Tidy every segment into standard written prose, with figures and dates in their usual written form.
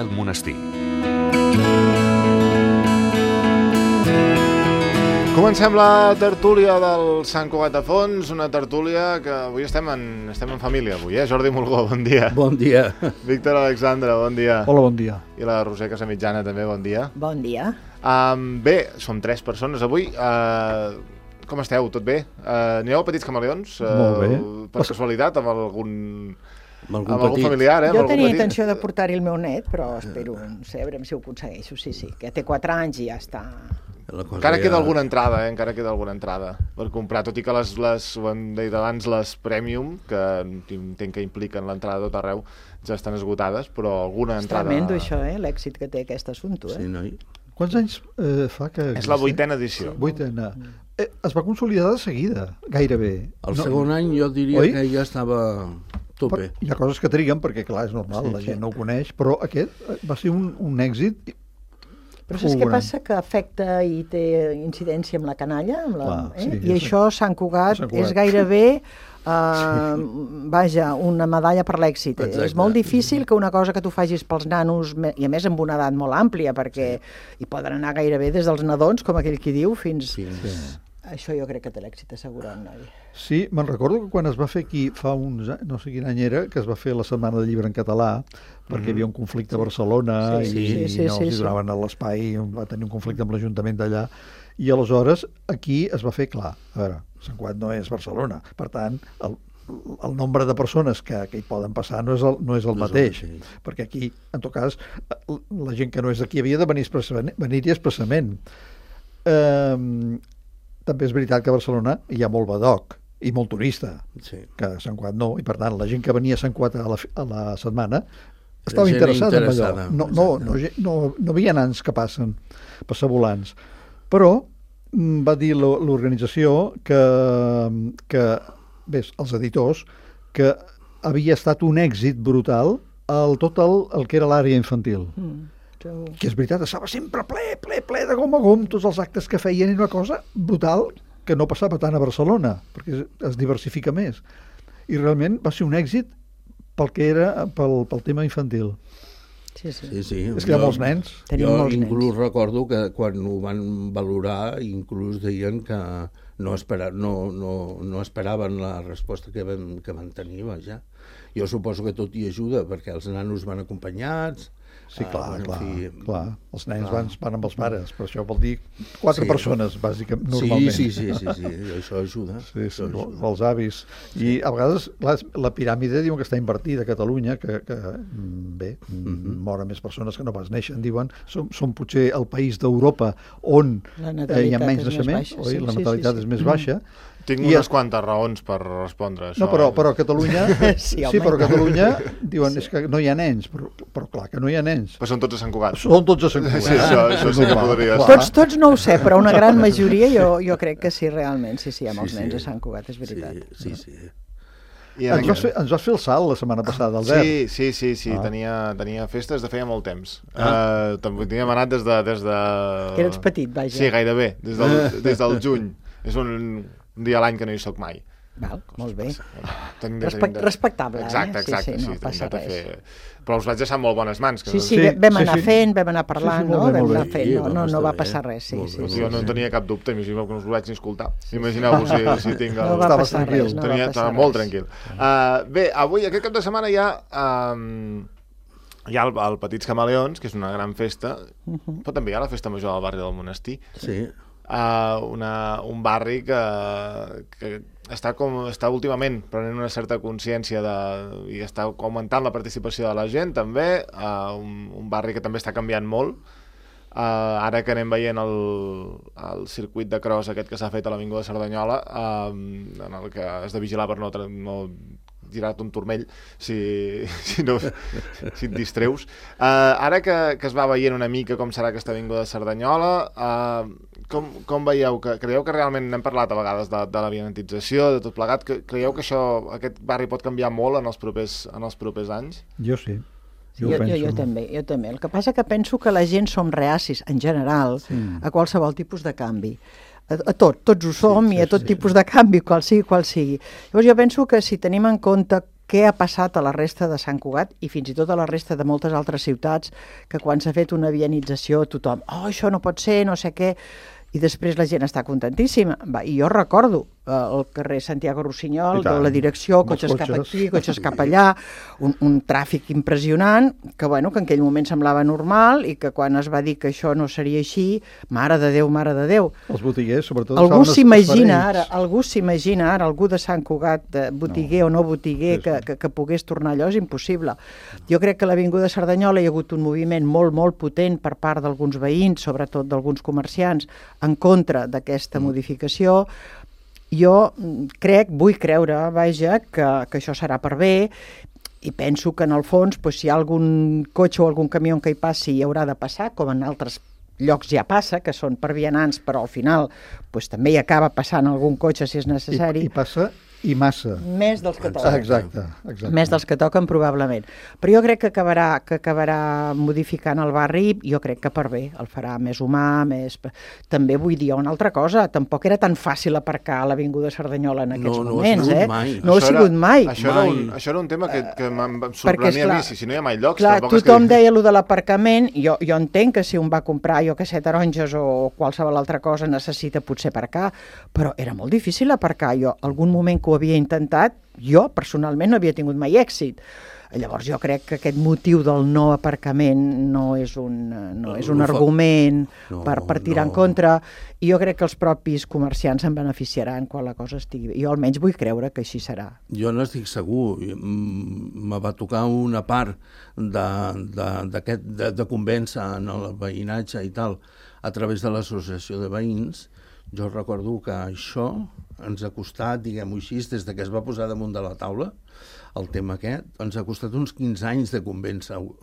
al monestir. Comencem la tertúlia del Sant Cugat de Fons, una tertúlia que avui estem en família, avui, Jordi Mulgó, bon dia. Bon dia. Víctor Alexandre, bon dia. Hola, bon dia. I la Roser Casamitjana també, bon dia. Bon dia. Bé, som 3 persones avui. Com esteu? Tot bé? Anireu a Petits Camaleons? Molt bé. Per casualitat, amb algun familiar, Jo tenia intenció de portar-hi el meu net, però espero, no sé, a veure si ho aconsegueixo, sí, que té 4 anys i ja està. Encara queda alguna entrada, encara queda alguna entrada per comprar, tot i que les ho hem dit abans, les Premium, que entenc que impliquen l'entrada tot arreu, ja estan esgotades, però alguna entrada... És tremendo això, l'èxit que té aquest assumpte, Sí, noi? Quants anys fa que... És la 8ª edició. 8ª. Es va consolidar de seguida, gairebé. El segon any jo diria que ja estava a tope. Hi ha coses que triguen, perquè clar, és normal, la gent no ho coneix, però aquest va ser un èxit. Però saps què passa? Que afecta i té incidència amb la canalla, i això, Sant Cugat, és gairebé vaja, una medalla per l'èxit. És molt difícil que una cosa que tu facis pels nanos, i a més amb una edat molt àmplia, perquè hi poden anar gairebé des dels nadons, com aquell qui diu, fins... Això jo crec que té l'èxit assegurat, noi. Sí, me'n recordo que quan es va fer aquí, fa uns anys, no sé quin any era, que es va fer la Setmana del Llibre en català, perquè hi havia un conflicte a Barcelona i no els donaven l'espai, va tenir un conflicte amb l'Ajuntament d'allà, i aleshores aquí es va fer clar. A veure, Sant Cugat no és Barcelona, per tant, el nombre de persones que hi poden passar no és el mateix, perquè aquí, en tot cas, la gent que no és d'aquí havia de venir-hi expressament. També és veritat que a Barcelona hi ha molt badoc i molt turista, que a Sant Cugat no, i per tant la gent que venia a Sant Cugat a la setmana estava interessada en allò. No havia nans que passen, passavolants. Però va dir l'organització que els editors, que havia estat un èxit brutal tot el que era l'àrea infantil. Que és veritat, estava sempre ple de gom a gom, tots els actes que feien, i una cosa brutal que no passava tant a Barcelona, perquè es diversifica més. I realment va ser un èxit pel que era pel tema infantil. Sí. És que hi ha molts nens. Jo inclús recordo que quan ho van valorar, inclús deien que no esperaven la resposta que van tenir, vaja. Jo suposo que tot hi ajuda, perquè els nanos van acompanyats. Sí, clar. Els nens van amb els pares, però això vol dir 4 persones, bàsicament, normalment. Sí, això ajuda. Sí, els avis. I a vegades, clar, la piràmide diuen que està invertida a Catalunya, que bé, moren més persones que no pas neixen, diuen. Som potser el país d'Europa on hi ha menys naixements, la natalitat és més baixa. Tinc unes quantes raons per respondre a això. No, però a Catalunya... Sí, però a Catalunya diuen és que no hi ha nens, però clar que no hi ha nens. Però són tots a Sant Cugat. Són tots a Sant Cugat. Sí, això sí que podria ser. Tots no ho sé, però una gran majoria jo crec que sí, realment. Sí, hi ha molts nens a Sant Cugat, és veritat. Sí. Ens vas fer el salt la setmana passada, Albert. Sí, tenia festes de feia molt temps. Teníem anat des de... Que eres petit, vaja. Sí, gairebé, des del juny. És un dia a l'any que no hi soc mai. Val, molt bé. Respectable, Exacte, no passa res. Però us vaig deixar molt bones mans. Sí, vam anar fent, vam anar parlant, no? Vam anar fent, no va passar res. Jo no tenia cap dubte, imagineu que no us ho vaig ni escoltar. Imagineu-vos si tinc... No va passar res. Estava molt tranquil. Bé, avui, aquest cap de setmana hi ha el Petits Camaleons, que és una gran festa, però també hi ha la festa major del barri del Monestir. Sí. Un barri que està últimament prenent una certa consciència i està augmentant la participació de la gent també, un barri que també està canviant molt, ara que anem veient el circuit de cross aquest que s'ha fet a l'Avinguda de Cerdanyola, en el que has de vigilar per no girar-te un turmell si et distreus. Ara que es va veient una mica com serà aquesta Avinguda de Cerdanyola, com veieu? Creieu que realment n'hem parlat a vegades de la vianantització, de tot plegat? Creieu que aquest barri pot canviar molt en els propers anys? Jo sí. Jo també. El que passa que penso que la gent som reacis, en general, a qualsevol tipus de canvi. A tots ho som, i a tot tipus de canvi, qual sigui. Llavors jo penso que si tenim en compte què ha passat a la resta de Sant Cugat i fins i tot a la resta de moltes altres ciutats, que quan s'ha fet una vianització tothom, això no pot ser, no sé què, i després la gent està contentíssima. I jo recordo el carrer Santiago Rossinyol, de la direcció, cotxes cap aquí, cotxes cap allà, un tràfic impressionant, que en aquell moment semblava normal i que quan es va dir que això no seria així, mare de Déu. Els botiguers, sobretot... Algú s'imagina ara, algú de Sant Cugat, botiguer o no botiguer, que pogués tornar allò, és impossible. Jo crec que a l'Avinguda Cerdanyola hi ha hagut un moviment molt, molt potent per part d'alguns veïns, sobretot d'alguns comerciants, en contra d'aquesta modificació. Jo vull creure, que això serà per bé, i penso que en el fons, si hi ha algun cotxe o algun camió que hi passi, hi haurà de passar, com en altres llocs ja passa, que són per vianants, però al final també hi acaba passant algun cotxe si és necessari. I passa i massa. Més dels que toquen. Exacte. Més dels que toquen, probablement. Però jo crec que acabarà modificant el barri, jo crec que per bé, el farà més humà, més... També vull dir una altra cosa, tampoc era tan fàcil aparcar a l'Avinguda Cerdanyola en aquests moments, No ha sigut mai. Això era un tema que em sorprenia a mi, si no hi ha mai llocs... Clar, tothom deia allò de l'aparcament, jo entenc que si un va comprar, taronges o qualsevol altra cosa necessita potser aparcar, però era molt difícil aparcar. Jo, algun moment que ho havia intentat, jo personalment no havia tingut mai èxit. Llavors jo crec que aquest motiu del no aparcament no és un argument per tirar en contra, i jo crec que els propis comerciants se'n beneficiaran quan la cosa estigui bé. Jo almenys vull creure que així serà. Jo no estic segur. Me va tocar una part de convèncer en el veïnatge i tal a través de l'associació de veïns. Jo recordo que això ens ha costat, diguem-ho així, des que es va posar damunt de la taula, el tema aquest, ens ha costat uns 15 anys de convèncer-ho.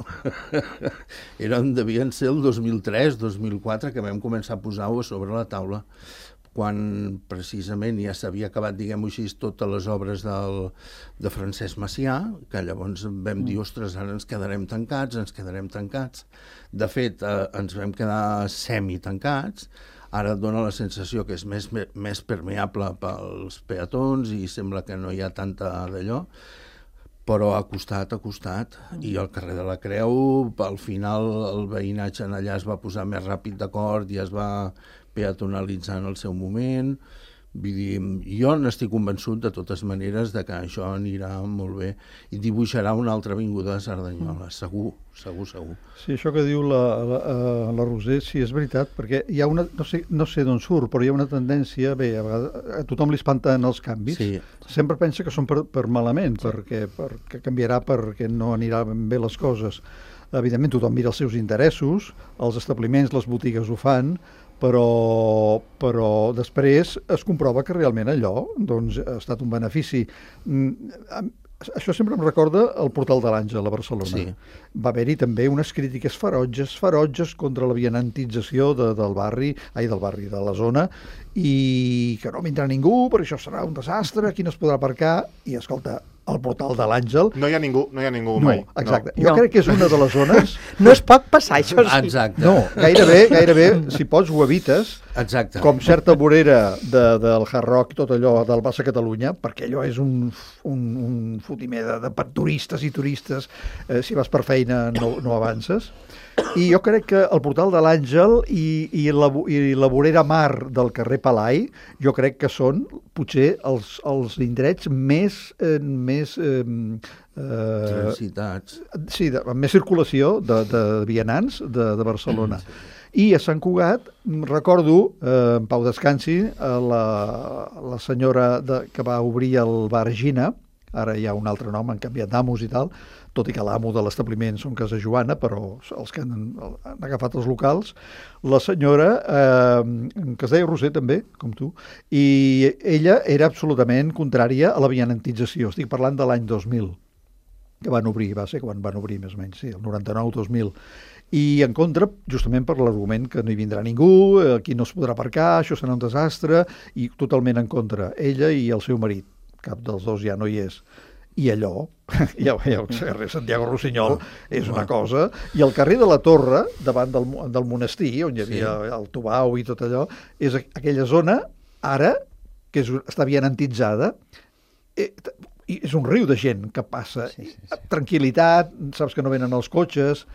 Devien ser el 2003, 2004, que vam començar a posar-ho a sobre la taula, quan precisament ja s'havia acabat, diguem-ho així, totes les obres de Francesc Macià, que llavors vam dir, ostres, ara ens quedarem tancats. De fet, ens vam quedar semi-tancats. Ara et dona la sensació que és més permeable pels peatons i sembla que no hi ha tanta d'allò, però ha costat. I al carrer de la Creu, al final, el veïnatge allà es va posar més ràpid d'acord i es va peatonalitzar en el seu moment. Vull dir, jo n'estic convençut de totes maneres de que això anirà molt bé i dibuixarà una altra avinguda de Cerdanyola, segur. Sí, això que diu la Roser, sí, és veritat, perquè hi ha una, no sé d'on surt, però hi ha una tendència, bé, a vegades a tothom li espanten els canvis, sempre pensa que són per malament, perquè canviarà, perquè no aniran bé les coses. Evidentment tothom mira els seus interessos, els establiments, les botigues ho fan, però després es comprova que realment allò ha estat un benefici. Això sempre em recorda el Portal de l'Àngel a Barcelona. Sí. Va haver-hi també unes crítiques ferotges contra la vianantització de la zona, i que no vindrà ningú, perquè això serà un desastre, aquí no es podrà aparcar, i escolta, al Portal de l'Àngel... No hi ha ningú mai. Exacte. Jo crec que és una de les zones... No es pot passar, això sí. Exacte. No, gairebé, si pots, ho evites. Exacte. Com certa vorera del Hard Rock i tot allò del Bassa Catalunya, perquè allò és un fotimer de turistes i turistes. Si vas per feina no avances. I jo crec que el Portal de l'Àngel i la vorera mar del carrer Palai, jo crec que són potser els indrets més transitats. Sí, amb més circulació de vianants de Barcelona. I a Sant Cugat, recordo, en pau descansi, la senyora que va obrir el bar Gina, ara hi ha un altre nom, han canviat d'amos i tal, tot i que l'amo de l'establiment són Casa Joana, però els que han agafat els locals, la senyora, que es deia Roser també, com tu, i ella era absolutament contrària a la vianantització. Estic parlant de l'any 2000, que van obrir, va ser quan van obrir més o menys, sí, el 99-2000. I en contra, justament per l'argument que no hi vindrà ningú, aquí no es podrà aparcar, això serà un desastre, i totalment en contra. Ella i el seu marit, cap dels dos ja no hi és. I allò, ja el carrer Santiago Rossinyol és una cosa, i el carrer de la Torre, davant del monestir, on hi havia el Tubau i tot allò, és aquella zona, ara, que està vianantitzada, és un riu de gent que passa. Tranquil·litat, saps que no venen els cotxes,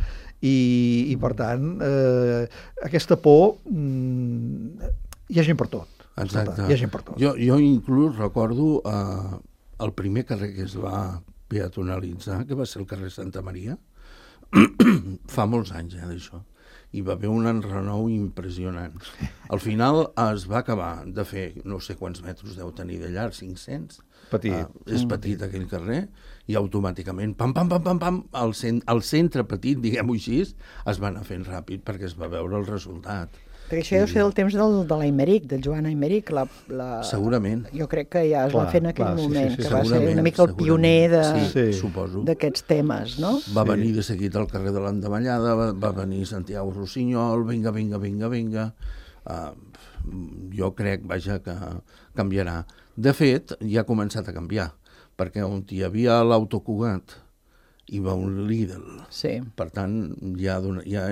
i per tant, aquesta por, hi ha gent per tot. Exacte. Hi ha gent per tot. Jo inclús recordo el primer carrer que es va peatonalitzar, que va ser el carrer Santa Maria, fa molts anys d'això. Hi va haver un enrenou impressionant. Al final es va acabar de fer, no sé quants metres deu tenir de llarg, 500. Petit. És petit aquell carrer, i automàticament, pam, pam, pam, pam, pam, el centre petit, diguem-ho així, es va anar fent ràpid perquè es va veure el resultat. Perquè això deu ser del temps de l'Aimeric, del Joan Aimeric. Segurament. Jo crec que ja es va fer en aquell moment, que va ser una mica el pioner d'aquests temes, no? Va venir de seguit al carrer de l'Endavallada, va venir Santiago Rossinyol, vinga. Jo crec, vaja, que canviarà. De fet, ja ha començat a canviar, perquè on hi havia l'Autocugat hi va un Lidl. Sí. Per tant, ja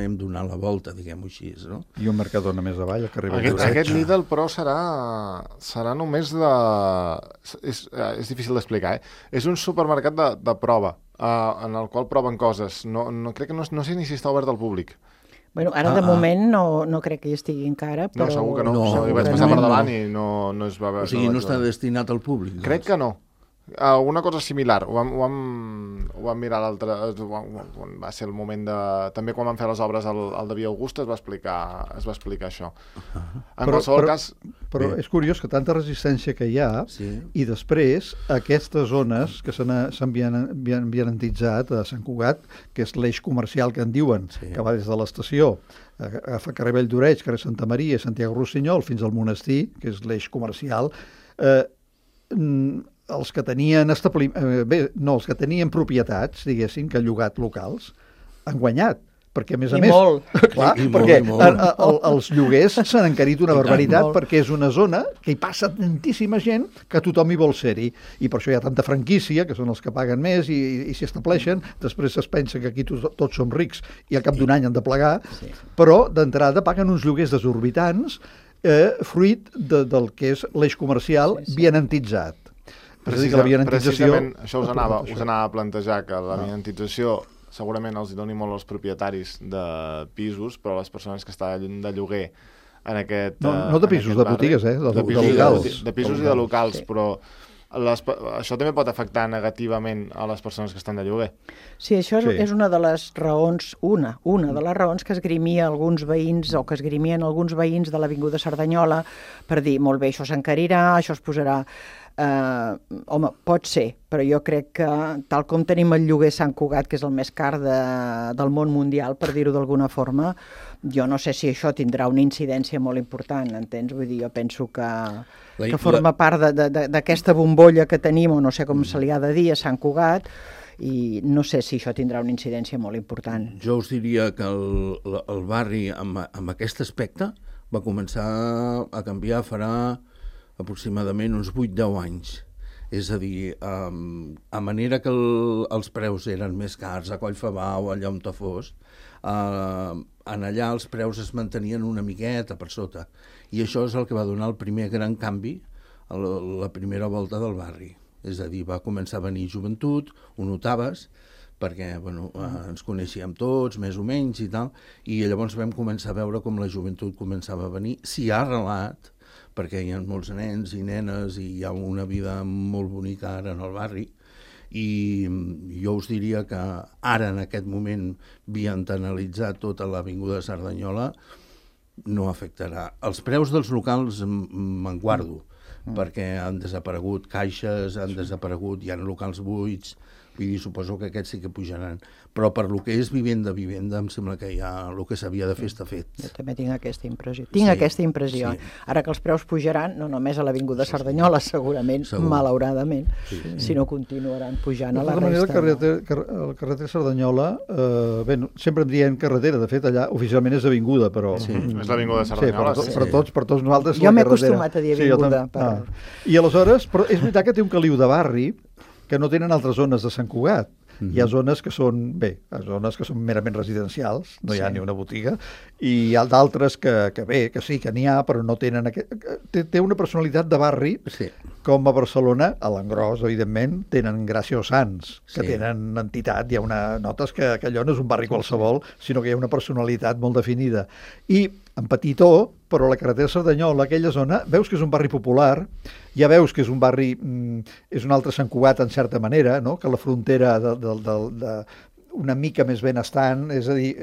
hem donat la volta, diguem-ho així, no? I un Mercadona més avall, el carrer Aquest Lidl, però, serà només de... És difícil d'explicar, És un supermercat de prova, en el qual proven coses. Crec que no sé ni si està obert al públic. Bueno, ara de moment no crec que hi estigui encara, però... No, segur que no. Hi vaig passar per davant i no es va veure. O sigui, no està destinat al públic. Crec que no. Una cosa similar, ho vam mirar l'altre, va ser el moment de... També quan van fer les obres al de Via Augusta es va explicar això. En qualsevol cas... Però és curiós que tanta resistència que hi ha, i després aquestes zones que s'han vianantitzat a Sant Cugat, que és l'eix comercial que en diuen, que va des de l'estació, agafa carrer Vall d'Oreig, carrer Santa Maria, Santiago Rossinyol, fins al monestir, que és l'eix comercial, els que tenien els que tenien propietats, diguéssim, que han llogat locals, han guanyat, perquè a més a més... Perquè els lloguers s'han encarit una barbaritat, perquè és una zona que hi passa tantíssima gent que tothom hi vol ser-hi, i per això hi ha tanta franquícia, que són els que paguen més i s'hi estableixen. Després es pensa que aquí tots som rics i al cap d'un any han de plegar, però d'entrada paguen uns lloguers desorbitants fruit del que és l'eix comercial vianantitzat. Precisament això us anava a plantejar, que la vianantització segurament els doni molt als propietaris de pisos, però les persones que estan de lloguer en aquest... No de pisos, de botigues, de locals. De pisos i de locals, però això també pot afectar negativament a les persones que estan de lloguer. Sí, això és una de les raons, una de les raons que esgrimia alguns veïns, o que esgrimien alguns veïns de l'Avinguda Cerdanyola, per dir, molt bé, això s'encarirà, això es posarà... Home, pot ser, però jo crec que tal com tenim el lloguer Sant Cugat, que és el més car del món mundial, per dir-ho d'alguna forma, jo no sé si això tindrà una incidència molt important, entens? Vull dir, jo penso que forma part d'aquesta bombolla que tenim, o no sé com se li ha de dir, a Sant Cugat, i no sé si això tindrà una incidència molt important. Jo us diria que el barri, amb aquest aspecte, va començar a canviar farà aproximadament uns 8-10 anys. És a dir, a manera que els preus eren més cars a Collfabau, allà on fos, en allà els preus es mantenien una miqueta per sota. I això és el que va donar el primer gran canvi a la primera volta del barri. És a dir, va començar a venir joventut, ho notaves, perquè ens coneixíem tots, més o menys i tal, i llavors vam començar a veure com la joventut començava a venir, s'hi ha arrelat, perquè hi ha molts nens i nenes i hi ha una vida molt bonica ara en el barri, i jo us diria que ara, en aquest moment, vianantitzar tota l'Avinguda Cerdanyola no afectarà. Els preus dels locals me'n guardo, perquè han desaparegut caixes, hi ha locals buits, vull dir, suposo que aquests sí que pujaran. Però per lo que és vivenda, em sembla que ja el que s'havia de fer està fet. Jo també tinc aquesta impressió. Aquesta impressió. Ara que els preus pujaran, no només a l'Avinguda Cerdanyola, segurament, malauradament, sinó continuaran pujant a la resta. De manera, el carretera Cerdanyola, sempre em diem carretera, de fet, allà oficialment és avinguda, però... És l'Avinguda Cerdanyola. Per tots nosaltres jo m'he acostumat a dir avinguda. I aleshores, però és veritat que té un caliu de barri que no tenen altres zones de Sant Cugat. Hi ha zones que són, zones que són merament residencials, no hi ha ni una botiga, i hi ha d'altres que sí, que n'hi ha, però no tenen... Té una personalitat de barri, com a Barcelona, a l'engròs, evidentment, tenen Gràcia o Sants, que tenen entitat, notes que allò no és un barri qualsevol, sinó que hi ha una personalitat molt definida. I en petitó, però la carretera Cerdanyola, aquella zona, veus que és un barri popular, ja veus que és un barri, és un altre Sant Cugat en certa manera, no? Que la frontera una mica més benestant, és a dir,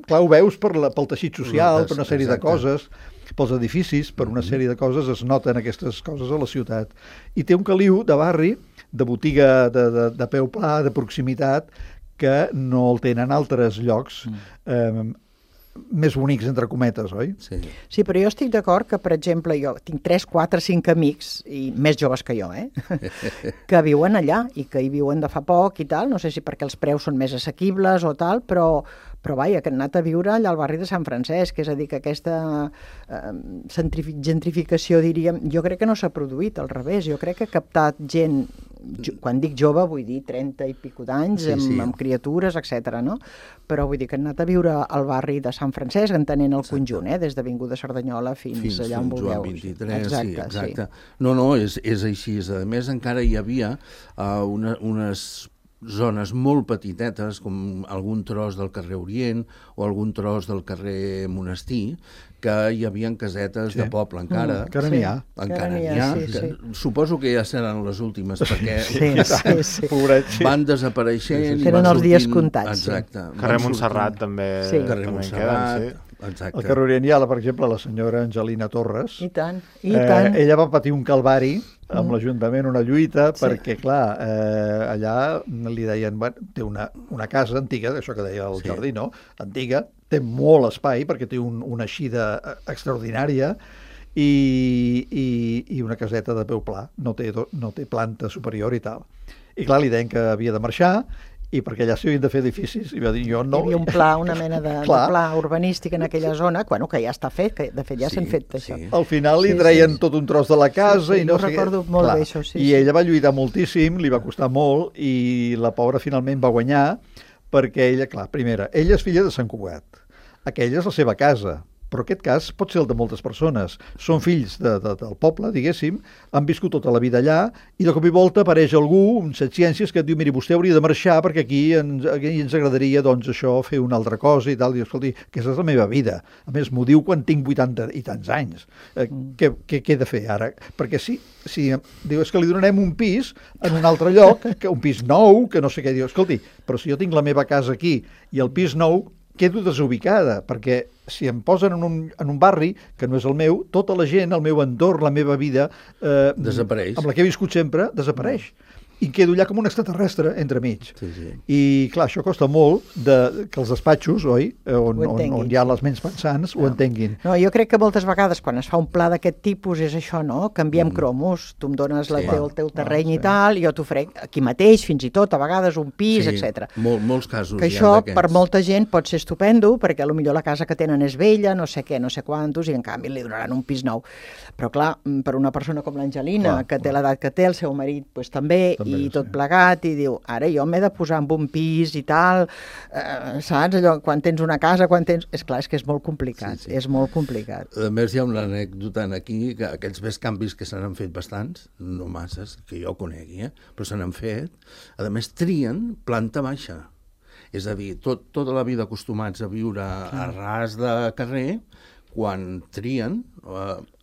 clar, ho veus pel teixit social, per una sèrie de coses, pels edificis, per una sèrie de coses es noten aquestes coses a la ciutat. I té un caliu de barri, de botiga de peu pla, de proximitat, que no el tenen altres llocs més bonics, entre cometes, oi? Sí, però jo estic d'acord que, per exemple, jo tinc 3, 4, 5 amics, i més joves que jo, que viuen allà i que hi viuen de fa poc i tal, no sé si perquè els preus són més assequibles o tal, però vaja, que han anat a viure allà al barri de Sant Francesc, és a dir, que aquesta gentrificació, diríem, jo crec que no s'ha produït, al revés, jo crec que ha captat gent, quan dic jove vull dir 30 i pico d'anys, amb criatures, etc. No? Però vull dir que han anat a viure al barri de Sant Francesc, entenent el conjunt, des d'Avinguda Cerdanyola fins allà on vulgueu. Fins Joan 23, exacte. No, és així. A més, encara hi havia unes zones molt petitetes, com algun tros del carrer Orient o algun tros del carrer Monestir, que hi havia casetes de poble encara. Encara n'hi ha. Encara n'hi ha. Suposo que ja seran les últimes, perquè van desapareixent. Tenen els dies comptats. Exacte. Carrer Montserrat també en queden, Al carrer Orient hi ha, per exemple, la senyora Angelina Torres. I tant, i tant. Ella va patir un calvari amb l'Ajuntament, una lluita, perquè, clar, allà li deien, té una casa antiga, això que deia el Jordi, no? Antiga, té molt espai, perquè té una eixida extraordinària i una caseta de peu pla, no té planta superior i tal. I clar, li deien que havia de marxar, i perquè allà s'hi havien de fer edificis, i va dir, jo no... Hi havia un pla, una mena de pla urbanístic en aquella zona, que ja està fet, que de fet ja s'han fet això. Al final li treien tot un tros de la casa i no sé què. Jo recordo molt bé això, I ella va lluitar moltíssim, li va costar molt, i la pobra finalment va guanyar, perquè ella, clar, primera, ella és filla de Sant Cugat, aquella és la seva casa, però aquest cas pot ser el de moltes persones. Són fills del poble, diguéssim, han viscut tota la vida allà, i de cop i volta apareix algú, un set ciències, que et diu, miri, vostè hauria de marxar perquè aquí ens agradaria, doncs, això, fer una altra cosa i tal. I escolti, aquesta és la meva vida. A més, m'ho diu quan tinc 80 i tants anys. Què he de fer ara? Perquè si diu, és que li donarem un pis en un altre lloc, un pis nou, que no sé què, diu, escolti, però si jo tinc la meva casa aquí i el pis nou, quedo desubicada, perquè si em posen en un barri que no és el meu, tota la gent, el meu entorn, la meva vida, desapareix. Amb la que he viscut sempre, desapareix. I quedo allà com un extraterrestre entremig. I, clar, això costa molt que els despatxos, oi, on hi ha les ments pensants, ho entenguin. No, jo crec que moltes vegades, quan es fa un pla d'aquest tipus, és això, no? Canviem cromos. Tu em dones el teu terreny i tal, jo t'oferec aquí mateix, fins i tot, a vegades un pis, etc. Molts casos que això, per molta gent, pot ser estupendo, perquè potser la casa que tenen és vella, no sé què, no sé quantos, i en canvi li donaran un pis nou. Però, clar, per una persona com l'Angelina, que té l'edat que té, el seu marit també, i tot plegat, i diu, ara jo m'he de posar en un pis i tal, saps? Allò, quan tens una casa, És clar, és que és molt complicat, és molt complicat. A més, hi ha una anècdota aquí, que aquells canvis que se n'han fet bastants, no masses, que jo conegui, però se n'han fet, a més trien planta baixa. És a dir, tota la vida acostumats a viure a ras de carrer, quan trien...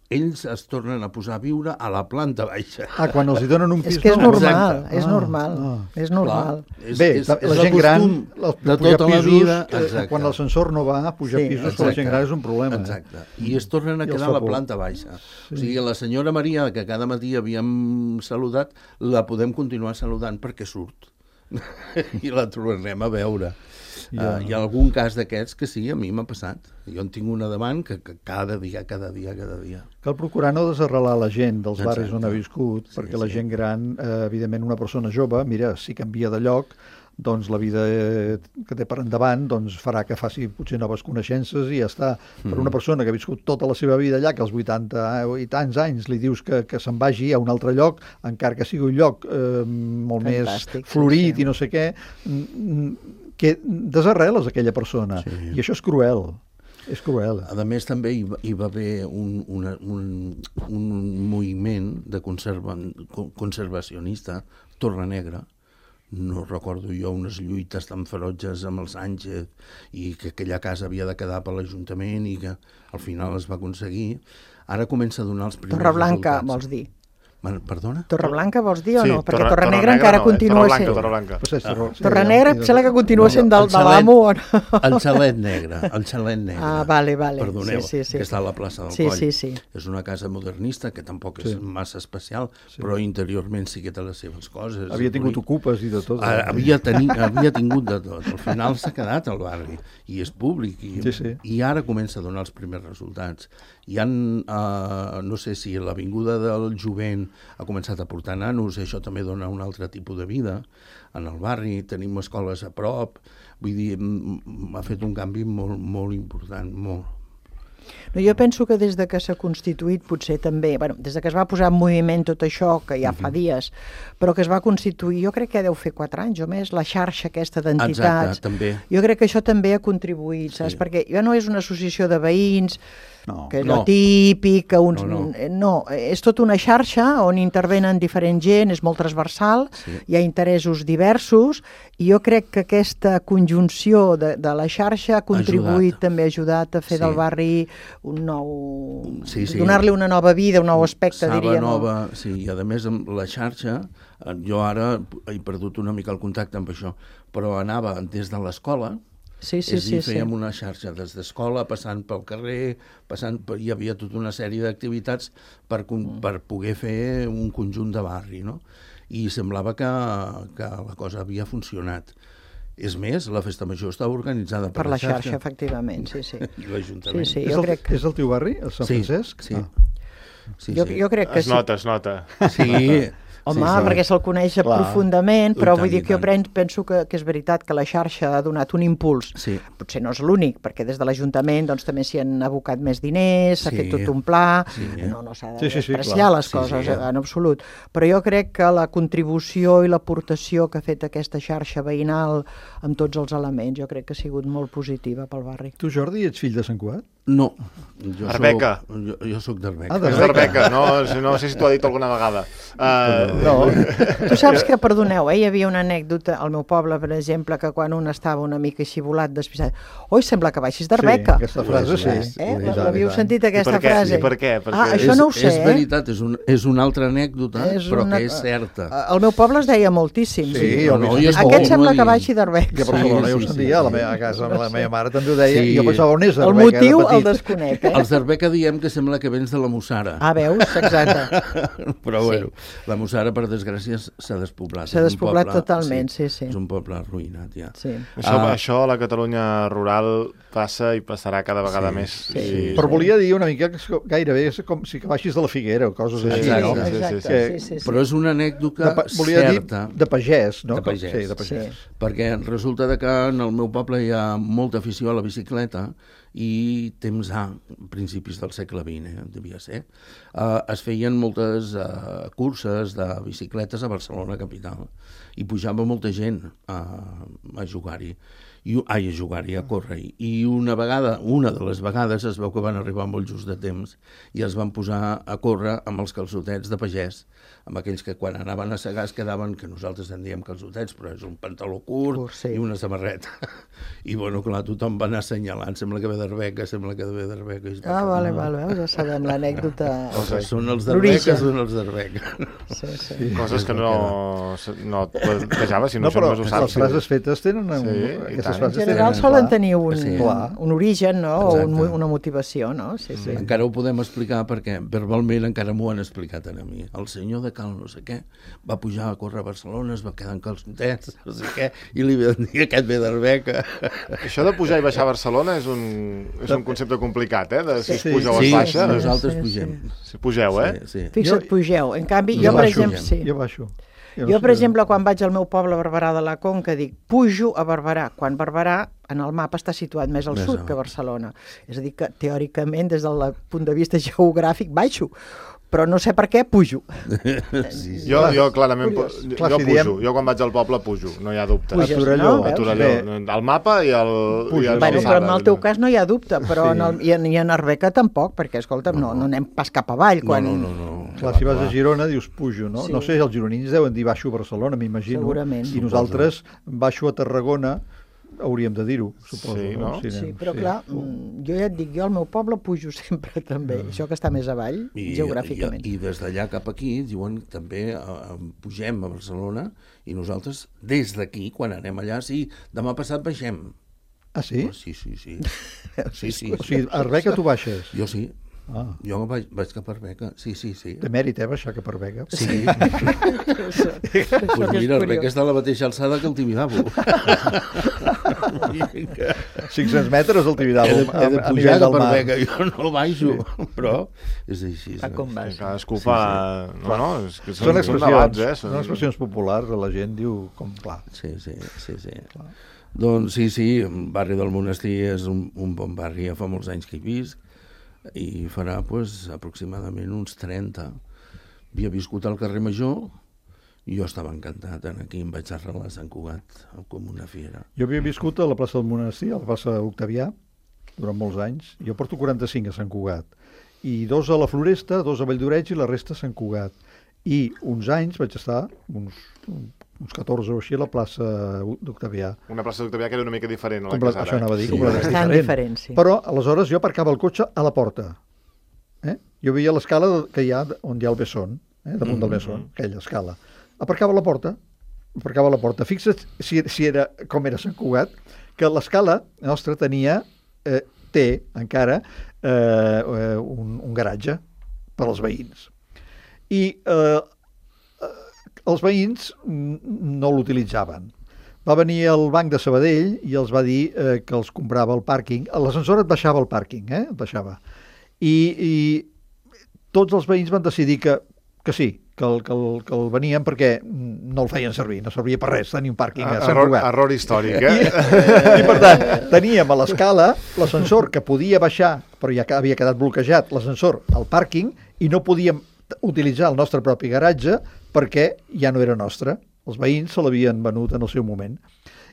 ells es tornen a posar a viure a la planta baixa. Quan els hi donen un pis nou. És que és normal, és normal, és normal. Bé, la gent gran, de tota la vida, quan l'ascensor no va, pujar pisos per la gent gran és un problema. Exacte, i es tornen a quedar a la planta baixa. O sigui, la senyora Maria, que cada matí havíem saludat, la podem continuar saludant perquè surt. I la tornarem a veure. Hi ha algun cas d'aquests que sí, a mi m'ha passat. Jo en tinc una davant que cada dia. Cal procurar no desarrelar la gent dels barris on ha viscut, perquè la gent gran, evidentment una persona jove, mira, si canvia de lloc, doncs la vida que té per endavant doncs farà que faci potser noves coneixences i ja està. Per una persona que ha viscut tota la seva vida allà, que als 80 i tants anys li dius que se'n vagi a un altre lloc, encara que sigui un lloc molt fantàstic, més florit i no sé què, que desarreles aquella persona. I això és cruel. És cruel. A més, també hi va haver un moviment de conservacionista, Torrenegra. No recordo jo unes lluites tan ferotges amb els Sánchez i que aquella casa havia de quedar per l'Ajuntament i que al final es va aconseguir. Ara comença a donar els primers Torreblanca, resultats. vols dir? Perdona? Torreblanca vols dir o no? Perquè Torrenegra encara no, continua sent... Torreblanca. Torrenegra em sembla que continua sent de l'amo o no? El xalet negre. Ah, vale. Perdoneu, sí. que està a la plaça del Coll. Sí. És una casa modernista que tampoc és massa especial, però interiorment sí que té les seves coses. Havia tingut ocupes i de tot. Havia tingut de tot. Al final s'ha quedat al barri i és públic i ara comença a donar els primers resultats. Hi ha, no sé si l'avinguda del Jovent ha començat a portar nanos, i això també dona un altre tipus de vida en el barri, tenim escoles a prop, vull dir, ha fet un canvi molt important, molt. No, jo penso que des de que s'ha constituït potser també, des de que es va posar en moviment tot això, que ja fa dies, però que es va constituir, jo crec que deu fer 4 anys o més, la xarxa aquesta d'entitats. Exacte, també. Jo crec que això també ha contribuït, saps? Perquè ja no és una associació de veïns, que és lo típic, que uns... No, és tota una xarxa on intervenen diferent gent, és molt transversal, hi ha interessos diversos, i jo crec que aquesta conjunció de la xarxa ha contribuït, també ha ajudat a fer del barri un nou... donar-li una nova vida, un nou aspecte, diríem. Sí, i a més amb la xarxa, jo ara he perdut una mica el contacte amb això, però anava des de l'escola. Fèiem una xarxa des d'escola, passant pel carrer, hi havia tota una sèrie d'activitats per poder fer un conjunt de barri, no? I semblava que la cosa havia funcionat. És més, la festa major estava organitzada per la xarxa. Efectivament, sí. I l'Ajuntament. És el teu barri, el Sant Francesc? Sí. Jo crec que sí. Es nota. Sí. Home, perquè se'l coneix profundament, però vull dir que jo penso que és veritat que la xarxa ha donat un impuls. Potser no és l'únic, perquè des de l'Ajuntament també s'hi han abocat més diners, s'ha fet tot un pla, no s'ha de despreciar les coses en absolut. Però jo crec que la contribució i l'aportació que ha fet aquesta xarxa veïnal amb tots els elements, jo crec que ha sigut molt positiva pel barri. Tu, Jordi, ets fill de Sant Cugat? No. Arbeca. Jo soc d'Arbeca. És d'Arbeca, no sé si t'ho ha dit alguna vegada. No. Tu saps que, perdoneu, hi havia una anècdota al meu poble, per exemple, que quan un estava una mica així volat, despistat, oi, sembla que baixis d'Arbeca. Sí, aquesta frase sí. L'havíeu sentit, aquesta frase? I per què? Això no ho sé, És veritat, és una altra anècdota, però que és certa. Al meu poble es deia moltíssim. Aquest sembla que baixi d'Arbeca. Que per favor, jo ho sentia, a la meva casa, la meva mare també ho deia, i jo pensava on és Arbeca. El motiu el desconec, Els d'Arbeca diem que sembla que vens de la Mussara. Ah, veus? Exacte. Però bueno, la Mussara, per desgràcia, s'ha despoblat. S'ha despoblat totalment, sí. És un poble arruïnat, ja. Això a la Catalunya rural passa i passarà cada vegada més. Però volia dir una mica que gairebé és com si que baixis de la Figuera o coses així, no? Exacte. Però és una anècdota certa. Volia dir de pagès, no? De pagès. Sí, de pagès. Perquè resulta que en el meu poble hi ha molta afició a la bicicleta i temps A, principis del segle XX, devia ser, es feien moltes curses de bicicletes a Barcelona capital i pujava molta gent a jugar-hi. A córrer-hi. I una de les vegades es veu que van arribar molt just de temps i es van posar a córrer amb els calçotets de pagès, amb aquells que quan anaven a segar es quedaven, que nosaltres en diem calçotets, però és un pantaló curt i una samarreta. I bueno, clar, tothom va anar assenyalant, sembla que ve d'Arbeca, vale, ja sabem l'anècdota. Són els d'Arbeca, Coses que no et plantejava, si no són més ho saps. Les frases fetes tenen en general solen tenir un origen, no? O una motivació, no? Encara ho podem explicar perquè verbalment encara m'ho han explicat a mi. El senyor de Cal no sé què va pujar a córrer a Barcelona, es va quedar en calçotets, no sé què, i li van dir aquest ve d'Arbeca. Això de pujar i baixar a Barcelona és un un concepte complicat, de si es puja o es Sí, baixa. nosaltres pugem. Si pugeu, Fixa't, pugeu. En canvi, jo, per exemple... Jo baixo. Jo, per exemple, quan vaig al meu poble, Barberà de la Conca, dic, pujo a Barberà, quan Barberà, en el mapa, està situat més al sud que Barcelona. És a dir, que teòricament, des del punt de vista geogràfic, baixo, però no sé per què pujo. Jo clarament pujo. Jo quan vaig al poble pujo, no hi ha dubte. Puges, a Torelló. El mapa i el... Bueno, però en el teu cas no hi ha dubte, però i en Arbeca tampoc, perquè, escolta'm, no anem pas cap avall. No. Clar, si vas a Girona dius pujo, no? No sé, els gironins deuen dir baixo a Barcelona, m'imagino. Segurament. I nosaltres baixo a Tarragona, hauríem de dir-ho, suposo. Sí, no? Sí, però clar, jo ja et dic, jo al meu poble pujo sempre també, això que està més avall, geogràficament. I des d'allà cap aquí, diuen, també pugem a Barcelona i nosaltres, des d'aquí, quan anem allà, sí, demà passat baixem. Ah, sí? Sí. O sigui, a Arbeca tu baixes? Jo sí. Jo vaig cap a Arbeca, sí. De mèrit, baixar cap a Arbeca. Sí. Pues mira, Arbeca està a la mateixa alçada que el Tibidabo. 500 metres el Tibidabo. He de pujar cap a Arbeca, jo no baixo, però és així. Cadascú fa... Són expressions populars, la gent diu com clar. Sí. Doncs sí, el barri del Monestir és un bon barri, ja fa molts anys que hi visc, i farà aproximadament uns 30. Havia viscut al carrer Major i jo estava encantat. Aquí em vaig arrelar a Sant Cugat com una fiera. Jo havia viscut a la plaça del Monestir, a la plaça Octavià, durant molts anys. Jo porto 45 a Sant Cugat. I 2 a la Floresta, 2 a Valldoreix i la resta a Sant Cugat. I uns anys vaig estar, uns 14 o així, a la plaça d'Octavià. Una plaça d'Octavià que era una mica diferent a la que és ara. Això anava a dir, bastant diferent, sí. Però aleshores jo aparcava el cotxe a la porta. Jo veia l'escala que hi ha on hi ha el Besson, damunt del Besson, aquella escala. Aparcava a la porta. Fixa't si era com era Sant Cugat, que l'escala nostra té encara un garatge per als veïns. I els veïns no l'utilitzaven. Va venir el Banc de Sabadell i els va dir que els comprava el pàrquing. L'ascensor et baixava el pàrquing, et baixava. I tots els veïns van decidir que sí, que el venien perquè no el feien servir, no servia per res tenir un pàrquing a Sant Cugat. Error històric, I per tant, teníem a l'escala l'ascensor que podia baixar, però ja havia quedat bloquejat l'ascensor al pàrquing i no podíem utilitzar el nostre propi garatge perquè ja no era nostre. Els veïns se l'havien venut en el seu moment.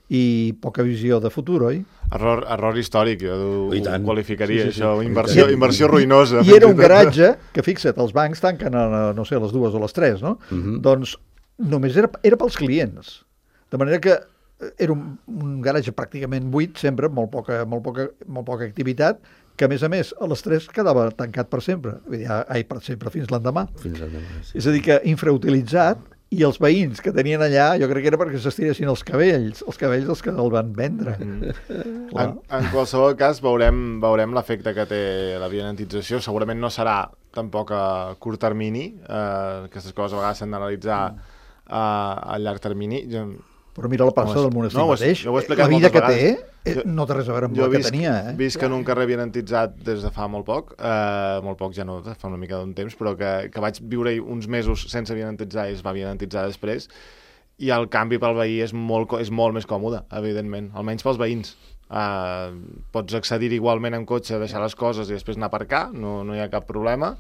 I poca visió de futur, oi? Error històric, jo ho qualificaria, sí. Això, inversió ruïnosa. I era un garatge que, fixa't, els bancs tanquen a, no sé, a les 2 o les 3, no? Doncs només era pels clients. De manera que era un garatge pràcticament buit, sempre, molt poca activitat, que a més, a les 3 quedava tancat per sempre. Per sempre, fins l'endemà. Fins l'endemà, sí. És a dir, que infrautilitzat, i els veïns que tenien allà, jo crec que era perquè s'estiressin els cabells els que el van vendre. En qualsevol cas, veurem l'efecte que té la vianantització. Segurament no serà tampoc a curt termini. Aquestes coses a vegades s'han d'analitzar a llarg termini. Però mira la plaça del Monestir mateix. La vida que té no té res a veure amb la que tenia. Visc en un carrer vianantitzat des de fa molt poc ja no, fa una mica d'un temps, però que vaig viure-hi uns mesos sense vianantitzar i es va vianantitzar després, i el canvi pel veí és molt més còmode, evidentment, almenys pels veïns. Pots accedir igualment en cotxe, deixar les coses i després anar a aparcar, no hi ha cap problema.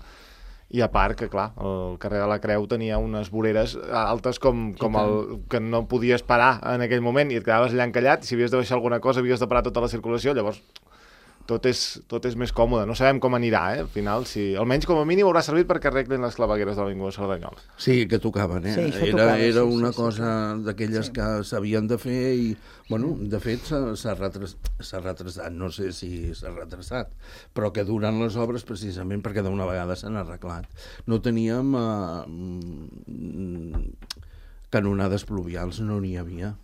I a part que, clar, el carrer de la Creu tenia unes voreres altes com que no podies parar en aquell moment i et quedaves allà encallat, i si havies de baixar alguna cosa havies de parar tota la circulació, llavors tot és més còmode. No sabem com anirà, al final, almenys com a mínim haurà servit perquè arreglin les clavegueres de l'Avinguda Cerdanyola. Sí, que tocaven, Sí, era una cosa d'aquelles que s'havien de fer i, bueno, de fet s'ha retrasat, no sé si s'ha retrasat, però que durant les obres, precisament perquè d'una vegada s'han arreglat, no teníem canonades pluvials, no n'hi havia.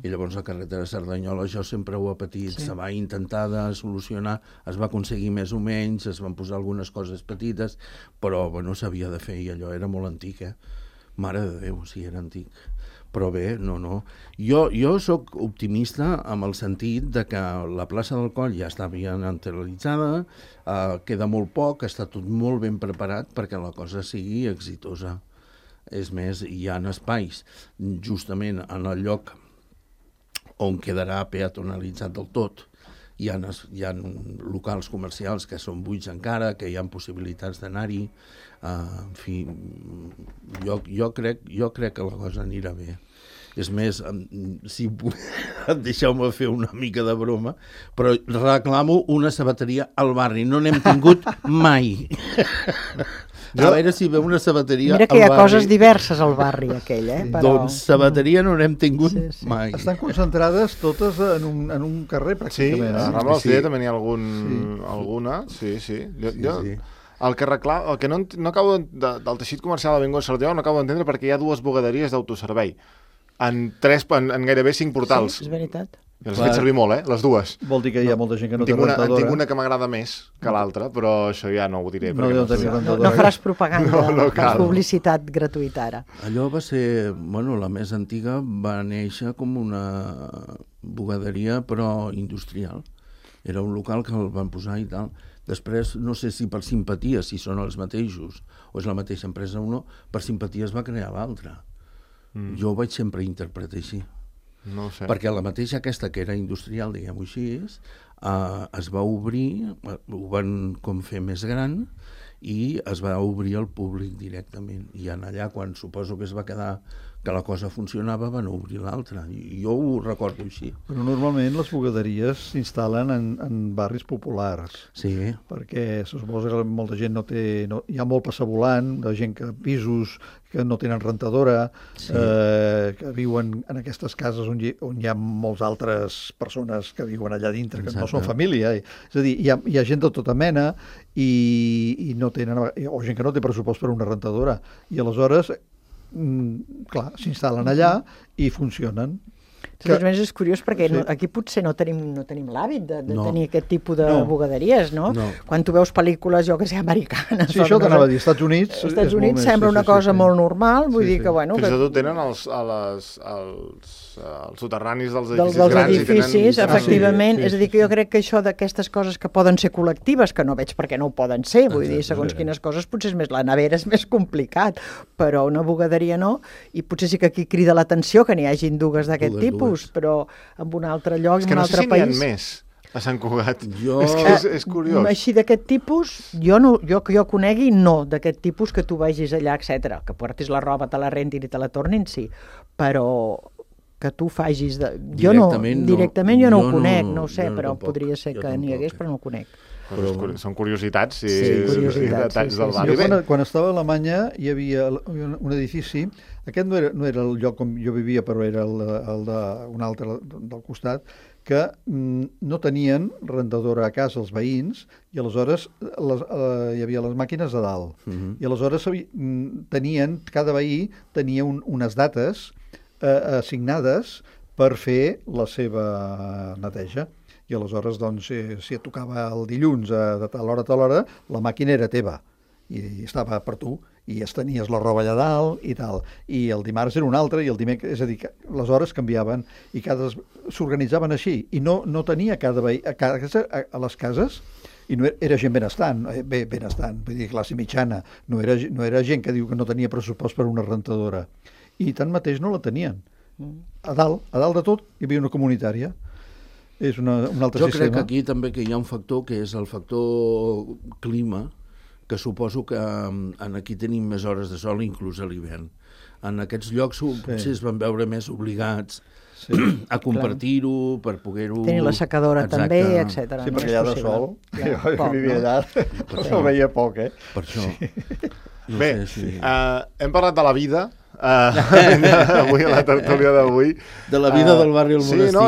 I llavors la carretera Cerdanyola, això sempre ho ha patit, se va intentar de solucionar, es va aconseguir més o menys, es van posar algunes coses petites, però bueno, s'havia de fer i allò era molt antic, Mare de Déu, sí, era antic. Però bé, no. Jo sóc optimista amb el sentit de que la plaça del Coll ja està ben analitzada, queda molt poc, està tot molt ben preparat perquè la cosa sigui exitosa. És més, hi ha espais justament en el lloc on quedarà peatonalitzat del tot. Hi ha locals comercials que són buits encara, que hi ha possibilitats d'anar-hi. En fi, jo crec que la cosa anirà bé. És més, si deixeu-me fer una mica de broma, però reclamo una sabateria al barri. No n'hem tingut mai. A veure si ve una sabateria al barri. Mira que hi ha coses diverses al barri aquell, però... Doncs sabateria no n'hem tingut mai. Estan concentrades totes en un carrer, pràcticament. Sí, a Rambla del Celler també n'hi ha alguna. Sí. El que no acabo del teixit comercial de l'Avinguda Sarrià no acabo d'entendre perquè hi ha 2 bugaderies d'autoservei en gairebé 5 portals. Sí, és veritat. I les he fet servir molt, les 2 Vol dir que hi ha molta gent que no té rentadora. En tinc una que m'agrada més que l'altra, però això ja no ho diré. No faràs propaganda, no publicitat gratuïta ara. Allò va ser, la més antiga va néixer com una bugaderia, però industrial. Era un local que el van posar i tal. Després, no sé si per simpatia, si són els mateixos, o és la mateixa empresa o no, per simpatia es va crear l'altra. Jo ho vaig sempre interpretar així. No sé. Perquè la mateixa aquesta que era industrial, diguem-ho així, es va obrir, ho van com fer més gran i es va obrir al públic directament. I allà, quan suposo que es va quedar que la cosa funcionava, van obrir l'altra. Jo ho recordo així. Però normalment les bugaderies s'instal·len en barris populars. Sí. Perquè se suposa que molta gent no té... Hi ha molt passavolant, de gent que pisos que no tenen rentadora, que viuen en aquestes cases on hi ha moltes altres persones que viuen allà dintre, que no són família. És a dir, hi ha gent de tota mena i no tenen... o gent que no té pressupost per una rentadora. I aleshores... clar, s'instal·len allà i funcionen. De totes maneres és curiós perquè aquí potser no tenim l'hàbit de tenir aquest tipus de bugaderies, no? Quan tu veus pel·lícules, jo que sé, americanes... Sí, això t'anava a dir, Estats Units... Als Estats Units sembla una cosa molt normal, vull dir que, bueno... Fins i tot tenen els soterranis dels edificis grans. Dels edificis, efectivament. És a dir, que jo crec que això d'aquestes coses que poden ser col·lectives, que no veig perquè no ho poden ser, vull dir, segons quines coses, potser és més la nevera, és més complicat, però una bugaderia no, i potser sí que aquí crida l'atenció que n'hi hagin dues d'aquest tipus, però en un altre lloc, en un altre país... És que no sé si n'hi ha més a Sant Cugat. És curiós. Així d'aquest tipus, jo que jo conegui, no, d'aquest tipus que tu vagis allà, etc. Que portis la roba, te la rentin i te la tornin, sí, però que tu facis... Directament jo no ho conec, no ho sé, però podria ser que n'hi hagués, però no ho conec. Són curiositats i detalls del barri. Quan estava a Alemanya hi havia un edifici, aquest no era el lloc on jo vivia, però era el d'un altre del costat, que no tenien rentadora a casa els veïns i aleshores hi havia les màquines a dalt. I aleshores cada veí tenia unes dates assignades per fer la seva neteja. I aleshores, doncs, si et tocava el dilluns de tal hora, la màquina era teva i estava per tu i estenies la roba allà dalt i tal. I el dimarts era un altre i el dimecres... És a dir, que les hores canviaven i s'organitzaven així. I no tenia cada veí... A les cases, i no era gent benestant, vull dir, classe mitjana. No era gent que diu que no tenia pressupost per una rentadora. I tanmateix no la tenien. A dalt de tot hi havia una comunitària. És un altre sistema. Jo crec que aquí també que hi ha un factor que és el factor clima, que suposo que aquí tenim més hores de sol inclús a l'hivern. En aquests llocs potser es van veure més obligats a compartir-ho per poder-ho... Tenir la secadora també, etc. Sí, perquè allà de sol, jo vivia allà, no veia poc, Per això. Bé, hem parlat de la vida, avui a la tertúlia d'avui de la vida del barri al monestir. Sí, no,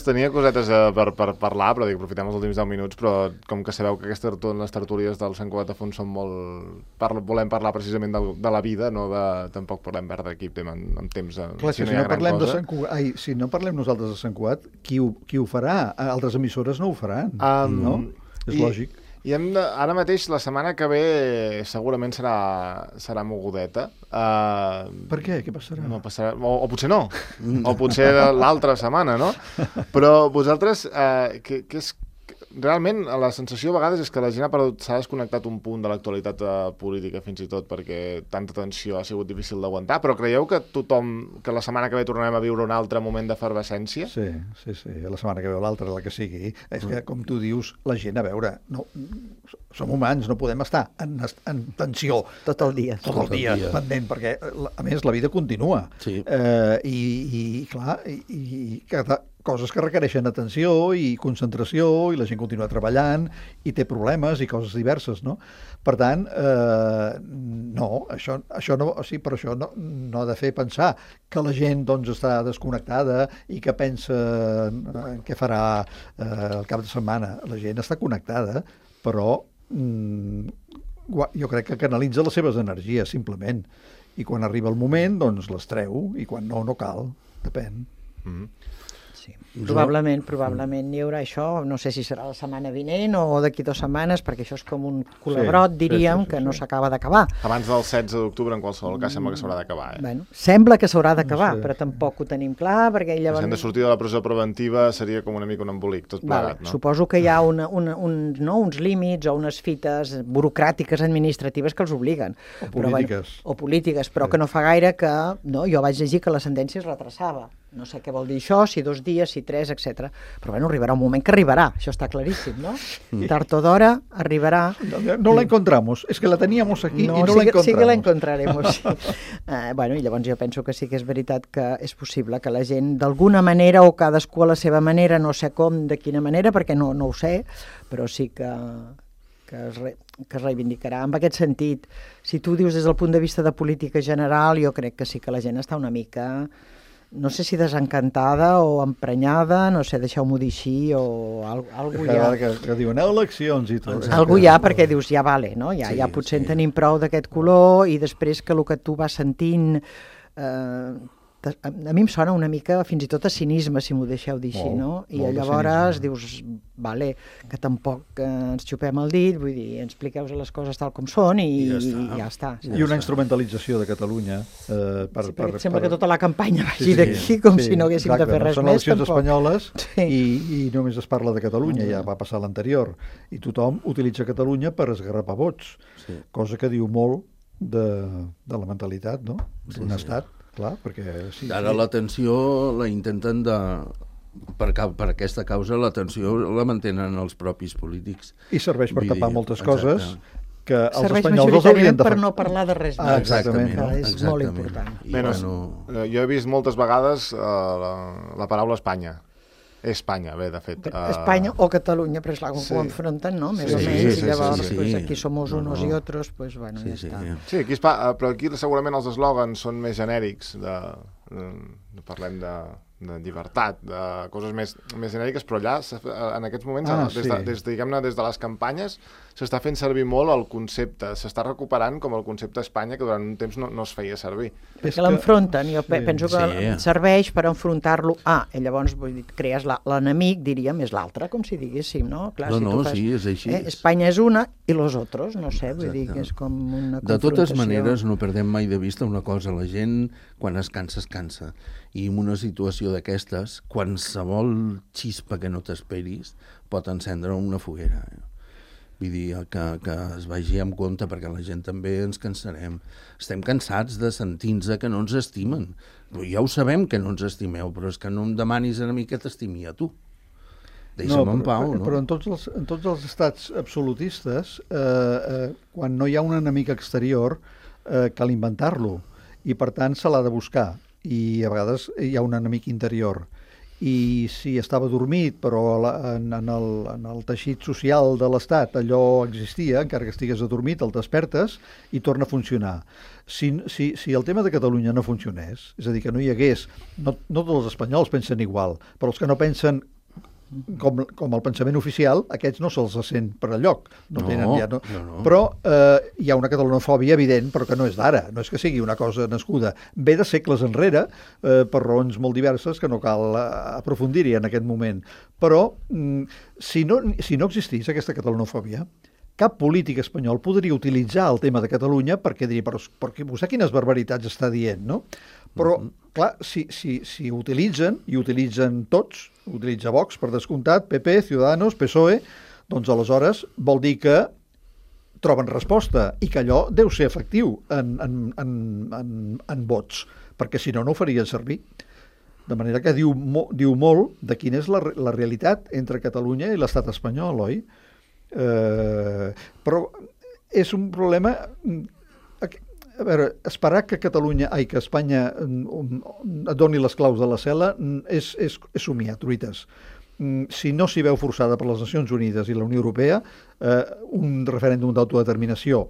tenia cosetes per parlar, però aprofitem els últims 10 minuts, però com que sabeu que les tertúlies del Sant Cugat a Fons són molt... volem parlar precisament de la vida, tampoc volem perdre aquí en temps. Clar, si no parlem nosaltres de Sant Cugat, qui ho farà? Altres emissores no ho faran, no? És lògic. I ara mateix, la setmana que ve, segurament serà mogudeta. Per què? Què passarà? No passarà, o potser no, o potser l'altra setmana, no? Però vosaltres, què és... Realment, la sensació a vegades és que la gent s'ha desconnectat un punt de l'actualitat política, fins i tot, perquè tanta tensió ha sigut difícil d'aguantar, però creieu que que la setmana que ve tornarem a viure un altre moment d'efervescència? Sí, la setmana que ve o l'altra, la que sigui. És que, com tu dius, la gent, a veure, no, som humans, no podem estar en tensió tot el dia, pendent, perquè, a més, la vida continua. Sí. I clar, i cada coses que requereixen atenció i concentració, i la gent continua treballant i té problemes i coses diverses, no? Per tant, no, això no, o sigui, per això no ha de fer pensar que la gent doncs està desconnectada i que pensa en què farà el cap de setmana. La gent està connectada, però jo crec que canalitza les seves energies, simplement. I quan arriba el moment, doncs les treu, i quan no cal. Depèn. Sí. Probablement hi haurà això, no sé si serà la setmana vinent o d'aquí 2 setmanes, perquè això és com un culebrot, diríem, que no s'acaba d'acabar. Abans del 16 d'octubre, en qualsevol cas, sembla que s'haurà d'acabar. Bueno, sembla que s'haurà d'acabar, però tampoc ho tenim clar, perquè llavors... Si hem de sortir de la presó preventiva seria com una mica un embolic, tot plegat, no? Suposo que hi ha uns límits o unes fites burocràtiques administratives que els obliguen. O polítiques, però que no fa gaire que... Jo vaig llegir que la sentència es retrasava. No sé què vol dir això, si 2 dies, si 3, etc. Però arribarà un moment que arribarà, això està claríssim, no? Tard o d'hora arribarà. No la encontramos, es que la teníamos aquí y no la encontramos. Sí que la encontraremos. I llavors jo penso que sí que és veritat que és possible que la gent d'alguna manera, o cadascú a la seva manera, no sé com, de quina manera, perquè no ho sé, però sí que es reivindicarà. En aquest sentit, si tu dius des del punt de vista de política general, jo crec que sí que la gent està una mica... no sé si desencantada o emprenyada, no sé, deixeu-m'ho dir així, o algú ja... Que diuen, eleccions i tot. Algú ja, perquè dius, ja vale, no? Ja potser en tenim prou d'aquest color, i després que el que tu vas sentint... a mi em sona una mica fins i tot a cinisme, si m'ho deixeu dir així, no? I llavors dius, vale, que tampoc ens xupem el dit, vull dir, expliqueu les coses tal com són i ja està. I una instrumentalització de Catalunya. Sembla que tota la campanya vagi d'aquí, com si no haguéssim de fer res més. Són eleccions espanyoles i només es parla de Catalunya, ja va passar l'anterior, i tothom utilitza Catalunya per esgarrapar vots, cosa que diu molt de la mentalitat, no? D'un estat. Clar, perquè... Ara l'atenció la intenten per aquesta causa, l'atenció la mantenen els propis polítics. I serveix per tapar moltes coses que els serveix espanyols els haurien de fer. per no parlar de res més. Exactament. És molt important. Jo he vist moltes vegades la paraula Espanya. Espanya, bé, de fet. Espanya o Catalunya, però és clar, com ho enfronten, no? Més o menys, i llavors aquí somos unos i otros, pues bueno, ja està. Sí, però aquí segurament els eslògans són més genèrics, parlem de llibertat, de coses més genèriques, però allà, en aquests moments, des de les campanyes, s'està fent servir molt el concepte, s'està recuperant com el concepte Espanya, que durant un temps no es feia servir. Perquè l'enfronten, jo penso que serveix per enfrontar-lo i llavors crees l'enemic, diríem, és l'altre, com si diguéssim, no? Sí, és així. Espanya és una i los otros, no sé, vull dir que és com una confrontació. De totes maneres, no perdem mai de vista una cosa, la gent, quan es cansa. I en una situació d'aquestes, qualsevol xispa que no t'esperis pot encendre una foguera. Vull dir, que es vagi amb compte, perquè la gent també ens cansarem. Estem cansats de sentir-nos que no ens estimen. Ja ho sabem que no ens estimeu, però és que no em demanis a mi que t'estimi a tu. Deixa'm en pau, no? Però en tots els estats absolutistes, quan no hi ha un enemic exterior, cal inventar-lo, i per tant se l'ha de buscar. I a vegades hi ha un enemic interior. I si estava dormit, però en el teixit social de l'Estat allò existia, encara que estigués adormit, el despertes i torna a funcionar. Si el tema de Catalunya no funcionés, és a dir, que no hi hagués... No tots els espanyols pensen igual, però els que no pensen com el pensament oficial, aquests no se'ls sent per enlloc. No. Però hi ha una catalanofòbia evident, però que no és d'ara, no és que sigui una cosa nascuda. Ve de segles enrere, per raons molt diverses, que no cal aprofundir-hi en aquest moment. Però, si no existís aquesta catalanofòbia, cap polític espanyol podria utilitzar el tema de Catalunya perquè diria, però vostè quines barbaritats està dient, no? Però, clar, si utilitzen, i utilitzen tots, utilitza Vox, per descomptat, PP, Ciudadanos, PSOE, doncs aleshores vol dir que troben resposta i que allò deu ser efectiu en vots, perquè si no, no ho farien servir. De manera que diu molt de quina és la realitat entre Catalunya i l'estat espanyol, oi? Però és un problema. A veure, esperar que Espanya doni les claus de la cel·la és somiar truites. Si no s'hi veu forçada per les Nacions Unides i la Unió Europea, un referèndum d'autodeterminació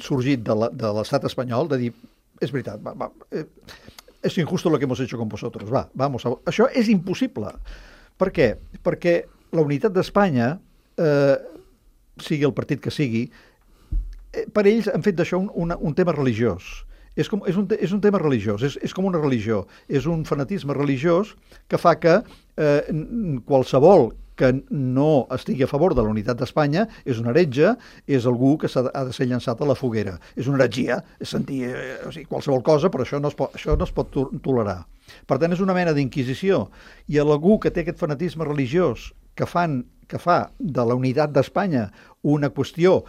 sorgit de l'estat espanyol, de dir, és veritat, és injusto lo que hemos hecho con vosotros, vamos, això és impossible. Per què? Perquè la unitat d'Espanya, sigui el partit que sigui, per ells han fet d'això un tema religiós. És un tema religiós, és com una religió. És un fanatisme religiós que fa que qualsevol que no estigui a favor de la unitat d'Espanya és un heretge, és algú que ha de ser llançat a la foguera. És una heretgia, és sentir qualsevol cosa, però això no es pot tolerar. Per tant, és una mena d'inquisició. I algú que té aquest fanatisme religiós que fa de la unitat d'Espanya una qüestió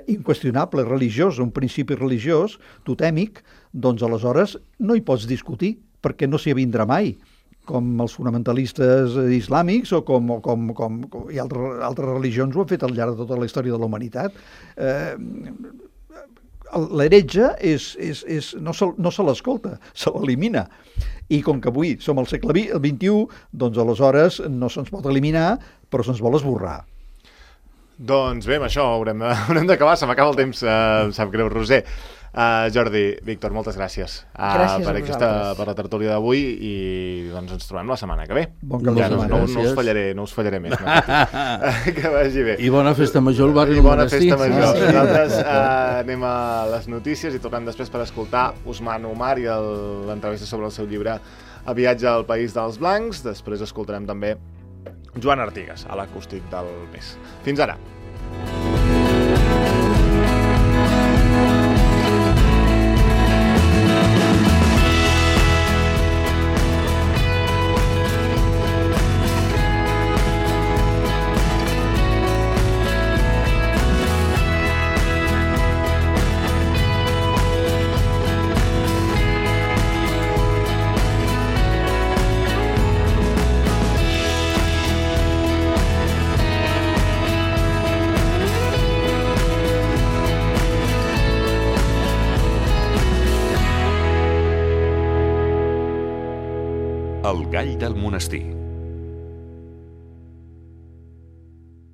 inqüestionable, religiosa, un principi religiós, totèmic, doncs aleshores no hi pots discutir, perquè no s'hi avindrà mai, com els fonamentalistes islàmics o i altres religions ho han fet al llarg de tota la història de la humanitat. L'heretge no se l'escolta, se l'elimina. I com que avui som al segle XXI, doncs aleshores no se'ns pot eliminar, però se'ns vol esborrar. Doncs bé, amb això haurem d'acabar, se m'acaba el temps, em sap greu, Roser. Jordi, Víctor, moltes gràcies, per la tertúlia d'avui i doncs ens trobem la setmana que ve. Bon cap de setmana. No us fallaré més. Que vagi bé. I bona festa major al barri del Monestir. I bona festa major. Nosaltres anem a les notícies i tornem després per escoltar Ousmane Omar i l'entrevista sobre el seu llibre A viatge al País dels Blancs. Després escoltarem també Joan Artigas, a l'acústic del mes. Fins ara. El gall del monestir.